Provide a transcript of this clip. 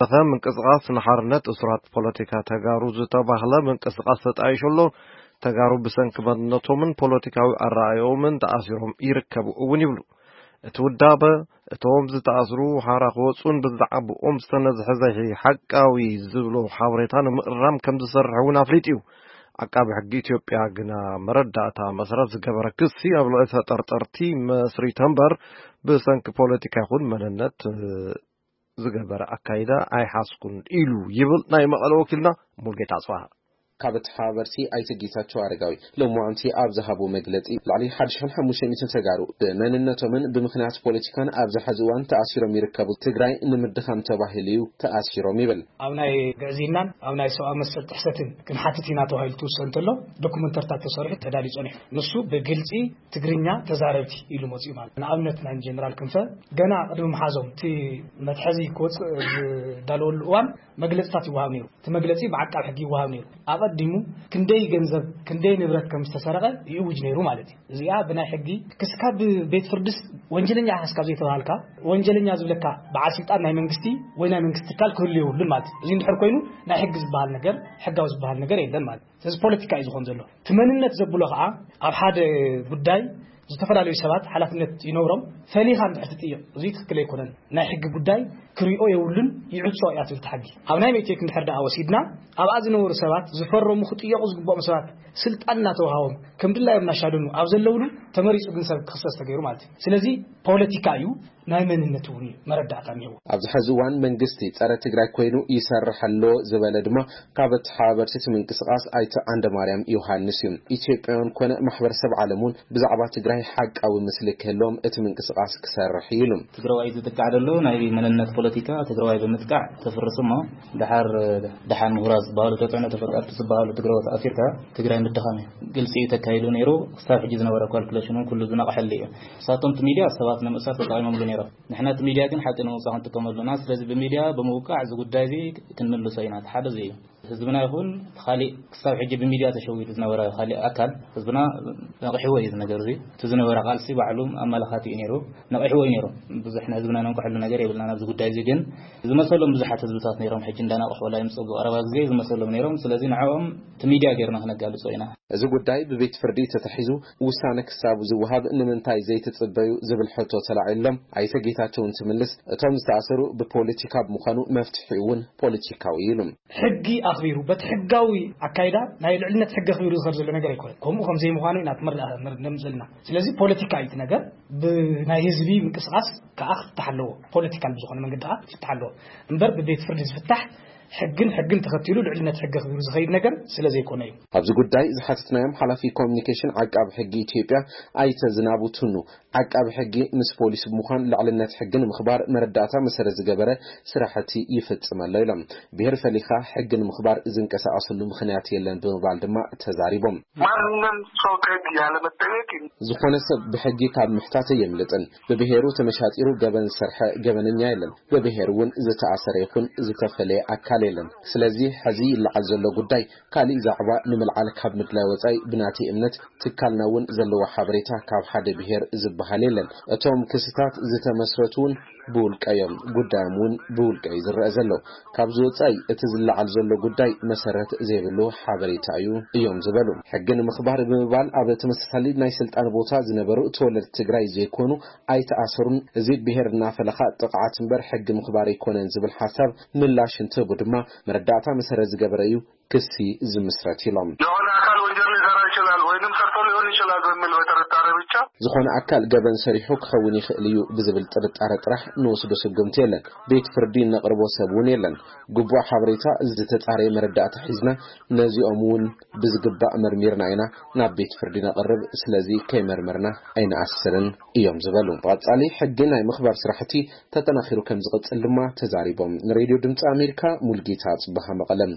ዝተረፈ ምንቅስቃስ ንሓርነት እሱራት ፖለቲካ ተጋሩ ዝተባህለ ምንቅስቃስ ተጣይሹ ኣሎ። ተጋሩ ብሰንኪ መንነቶምን ፖለቲካዊ ኣረኣእዮምን ተኣሲሮም ይርከቡ እውን ይብሉ። እቲ ውዳበ እቶም ዝተኣስሩ ሓራ ክወፁን ብዛዕባኦም ዝተነዝሐ ዘይሓቃዊ ዝብሎ ሓበሬታ ንምእራም ከም ዝሰርሕ እውን ኣፍሊጡ እዩ። ዓቃቢ ሕጊ ኢትዮጵያ ግና መረዳእታ መሰረት ዝገበረ ክሲ ኣብ ልዕሊ ተጠርጠርቲ መስሪተ እምበር ብሰንኪ ፖለቲካ ይኹን መንነት ዝገበረ ኣካይዳ ኣይሓዝኩን ኢሉ ይብል ናይ መቐለ ወኪልና ሙልጌታ ኣጽባሃ። ካብ ተሓባበርቲ ኣይተ ጌታቸው ኣረጋዊ ሎማዓንቲ ኣብ ዝሃቦ መግለጺ፣ ልዕሊ ሓደ ሽሕን ሓሙሽተ ሚእትን ተጋሩ ብመንነቶምን ብምኽንያት ፖለቲካን ኣብዚ ሕዚ እዋን ተኣሲሮም ይርከቡ። ትግራይ ንምድኻም ተባሂሉ እዩ ተኣሲሮም ይብል። ኣብ ናይ ግዕዝይናን ኣብ ናይ ሰብኣዊ መሰል ጥሕሰትን ክንሓትት ኢና ተባሂሉ ትውሰን እንተሎ፣ ዶኩመንተርታት ተሰሪሑ ተዳልዩ ጸኒሑ። ንሱ ብግልጺ ትግርኛ ተዛረብቲ ኢሉ መጺኡ ማለት። ንኣብነት ናይ ጀነራል ክንፈ ገና ቅድሚ ምሓዞም እቲ መትሐዚ ክወጽእ ዝዳለወሉ እዋን መግለጽታት ይወሃብ ነይሩ። እቲ መግለጺ ብዓቃብ ሕጊ ይወሃብ ነይሩ። ኣቐዲሙ ክንደይ ገንዘብ፣ ክንደይ ንብረት ከም ዝተሰረቐ ይእውጅ ነይሩ ማለት እዩ። እዚኣ ብናይ ሕጊ ክስካ ብቤት ፍርድስ ወንጀለኛ ኢኻ ክስካ ዘይተባሃልካ፣ ወንጀለኛ ዝብለካ በዓል ስልጣን ናይ መንግስቲ ወይ ናይ መንግስቲ ትካል ክህሉ የብሉን ማለት እዩ። እዚ እንድሕር ኮይኑ ናይ ሕጊ ዝበሃል ነገር፣ ሕጋዊ ዝበሃል ነገር የለን ማለት እዩ። ስለዚ ፖለቲካ እዩ ዝኾን ዘሎ። እቲ መንነት ዘብሎ ከዓ ኣብ ሓደ ጉዳይ ዝተፈላለዩ ሰባት ሓላፍነት ይነብሮም። ፈሊኻ እንድሕር ትጥይቕ፣ እዚ ትክክል ኣይኮነን። ናይ ሕጊ ጉዳይ ክሪኦ የብሉን፣ ይዕጾ እያ ትብል እቲ ሕጊ። ኣብ ናይ ሜቴክ እንድሕር ደኣ ወሲድና፣ ኣብኣ ዝነበሩ ሰባት ዝፈረሙ ክጥየቑ ዝግብኦም ሰባት ስልጣን እናተውሃቦም ከም ድላዮም እናሻደኑ ኣብ ዘለውሉ ተመሪጹ ግን ሰብ ክኽሰስ ተገይሩ ማለት እዩ። ስለዚ ፖለቲካ እዩ፣ ናይ መንነት እውን እዩ መረዳእታ እኒሄዎ። ኣብዚ ሕዚ እዋን መንግስቲ ጸረ ትግራይ ኮይኑ ይሰርሕ ኣሎ ዝበለ ድማ ካብ ተሓባበርቲ እቲ ምንቅስቃስ ኣይተ ዓንደማርያም ዮሃንስ እዩ። ኢትዮጵያውያን ኮነ ማሕበረሰብ ዓለም እውን ብዛዕባ ትግራይ ሓቃዊ ምስሊ ክህልዎም እቲ ምንቅስቃስ ክሰርሕ እዩ ኢሉ። ትግራዋይ ዝጥቃዕ ዘሎ ናይ መንነት ፖለቲካ ትግራዋይ ብምጥቃዕ ተፍርስ እሞ፣ ደሓር ደሓን ምሁራት ዝበሃሉ፣ ተፅዕኖ ተፈጠርቲ ዝበሃሉ ትግራዎት ኣሲርካ ትግራይ ምድኻም እዩ። ግልፂ እዩ ተካሂዱ ነይሩ። ክሳብ ሕጂ ዝነበረ ካልኩሌሽን እውን ኩሉ ዝነቕሐሉ እዩ። ንሳቶም እቲ ሚድያ ሰባት ንምእሳር ተጠቒሞምሉ ነይሮም። ንሕና እቲ ሚድያ ግን ሓቂ ንምውፃእ ክንጥቀመሉ ኢና። ስለዚ ብሚድያ ብምውቃዕ እዚ ጉዳይ እዚ ክንምልሶ ኢና። እቲ ሓደ እዚ እዩ። ህዝብና ይኹን እቲ ካሊእ ክሳብ ሕጂ ብሚድያ ተሸዊዱ ዝነበረ ካሊእ ኣካል ህዝብና ነቒሕዎ እዩ እዚ ነገር እዚ። እቲ ዝነበረ ቃልሲ ባዕሉ ኣመላኻቲ እዩ ነይሩ። ነቒሕዎ እዩ ነይሩ። ብዙሕ ንህዝብና ነንቅሐሉ ነገር የብልና። ናብዚ ጉዳይ እዚ ግን ዝመሰሎም ብዙሓት ህዝብታት ነይሮም። ሕጂ እንዳናቕሑ ወላ ይምፀጉ ቀረባ ግዜ ዝመሰሎም ነይሮም። ስለዚ ንዕኦም እቲ ሚድያ ጌርና ክነጋልጾ ኢና። እዚ ጉዳይ ብቤት ፍርዲ ተታሒዙ ውሳነ ክሳብ ዝወሃብ ንምንታይ ዘይትጽበዩ ዝብል ሕቶ ተላዒሎም ኣይተ ጌታቸው እንትምልስ፣ እቶም ዝተኣሰሩ ብፖለቲካ ብምዃኑ መፍትሒኡ እውን ፖለቲካዊ እዩ ኢሉ። ሕጊ ኣኽቢሩ በቲ ሕጋዊ ኣካይዳ ናይ ልዕልነት ሕጊ ኣኽቢሩ ዝኸድ ዘሎ ነገር ኣይኮነን። ከምኡ ከም ዘይምዃኑ ኢና ትምር-፣ ንር-፣ ነምጽእ ዘለና። ስለዚ ፖለቲካ እዩ እቲ ነገር። ብናይ ህዝቢ ምንቅስቃስ ከዓ ክፍታሕ ኣለዎ። ፖለቲካል ብዝኾነ መንገዲ ከዓ ክፍታሕ ኣለዎ። እምበር ብቤት ፍርዲ ዝፍታሕ ሕግን ሕግን ተኸቲሉ ልዕልነት ሕጊ ኣኽቢሩ ዝኸይድ ነገር ስለ ዘይኮነ እዩ። ኣብዚ ጉዳይ ዝሓተትናዮም ሓላፊ ኮሚኒኬሽን ዓቃቢ ሕጊ ኢትዮጵያ ኣይተ ዝናቡ ቱኑ፣ ዓቃቢ ሕጊ ምስ ፖሊስ ብምዃን ልዕልነት ሕጊ ንምኽባር መረዳእታ መሰረት ዝገበረ ስራሕቲ ይፍጽም ኣሎ ኢሎም። ብሄር ፈሊኻ ሕጊ ንምኽባር ዝንቀሳቐስሉ ምኽንያት የለን ብምባል ድማ ተዛሪቦም። ማንም ሰው ከህግ ያለመጠየቅ ዝኾነ ሰብ ብሕጊ ካብ ምሕታት የምልጥን። ብብሄሩ ተመሻጢሩ ገበን ዝሰርሐ ገበነኛ የለን። ብብሄር እውን ዝተኣሰረ ይኹን ዝተፈለየ ኣካል የለን። ስለዚ ሕዚ ይለዓል ዘሎ ጉዳይ ካሊእ ዛዕባ ንምልዓል ካብ ምድላይ ወጻኢ ብናተይ እምነት ትካልና እውን ዘለዎ ሓበሬታ ካብ ሓደ ብሄር ዝበሃል የለን። እቶም ክስታት ዝተመስረቱ እውን ብውልቀ እዮም። ጉዳዮም እውን ብውልቀ እዩ ዝረአ ዘሎ። ካብዚ ወጻኢ እቲ ዝለዓል ዘሎ ጉዳይ መሰረት ዘይብሉ ሓበሬታ እዩ እዮም ዝበሉ። ሕጊ ንምኽባር ብምባል ኣብ ተመሳሳሊ ናይ ስልጣን ቦታ ዝነበሩ ተወለድቲ ትግራይ ዘይኮኑ ኣይተኣሰሩን። እዚ ብሄር እናፈለኻ ጥቕዓት እምበር ሕጊ ምኽባር ኣይኮነን ዝብል ሓሳብ ምላሽ እንትህቡ ድማ መረዳእታ መሰረት ዝገበረ እዩ ክሲ ዝምስረት ኢሎም። የሆነ አካል ወንጀል ሊሰራ ይችላል ወይንም ሰርቶ ሊሆን ይችላል በሚል በጥርጣሬ ብቻ ዝኾነ ኣካል ገበን ሰሪሑ ክኸውን ይኽእል እዩ ብዝብል ጥርጣረ ጥራሕ ንወስዶ ስጉምቲ የለን። ቤት ፍርዲ ነቕርቦ ሰብ እውን የለን። ግቡእ ሓበሬታ ዝተጻረየ መረዳእታ ሒዝና ነዚኦም እውን ብዝግባእ መርሚርና ኢና ናብ ቤት ፍርዲ ነቕርብ። ስለዚ ከይመርመርና ኣይንኣስርን እዮም ዝበሉ። ብቐጻሊ ሕጊ ናይ ምኽባር ስራሕቲ ተጠናኺሩ ከም ዝቕጽል ድማ ተዛሪቦም። ንሬድዮ ድምፂ ኣሜሪካ ሙልጌታ ጽበሃ መቐለም።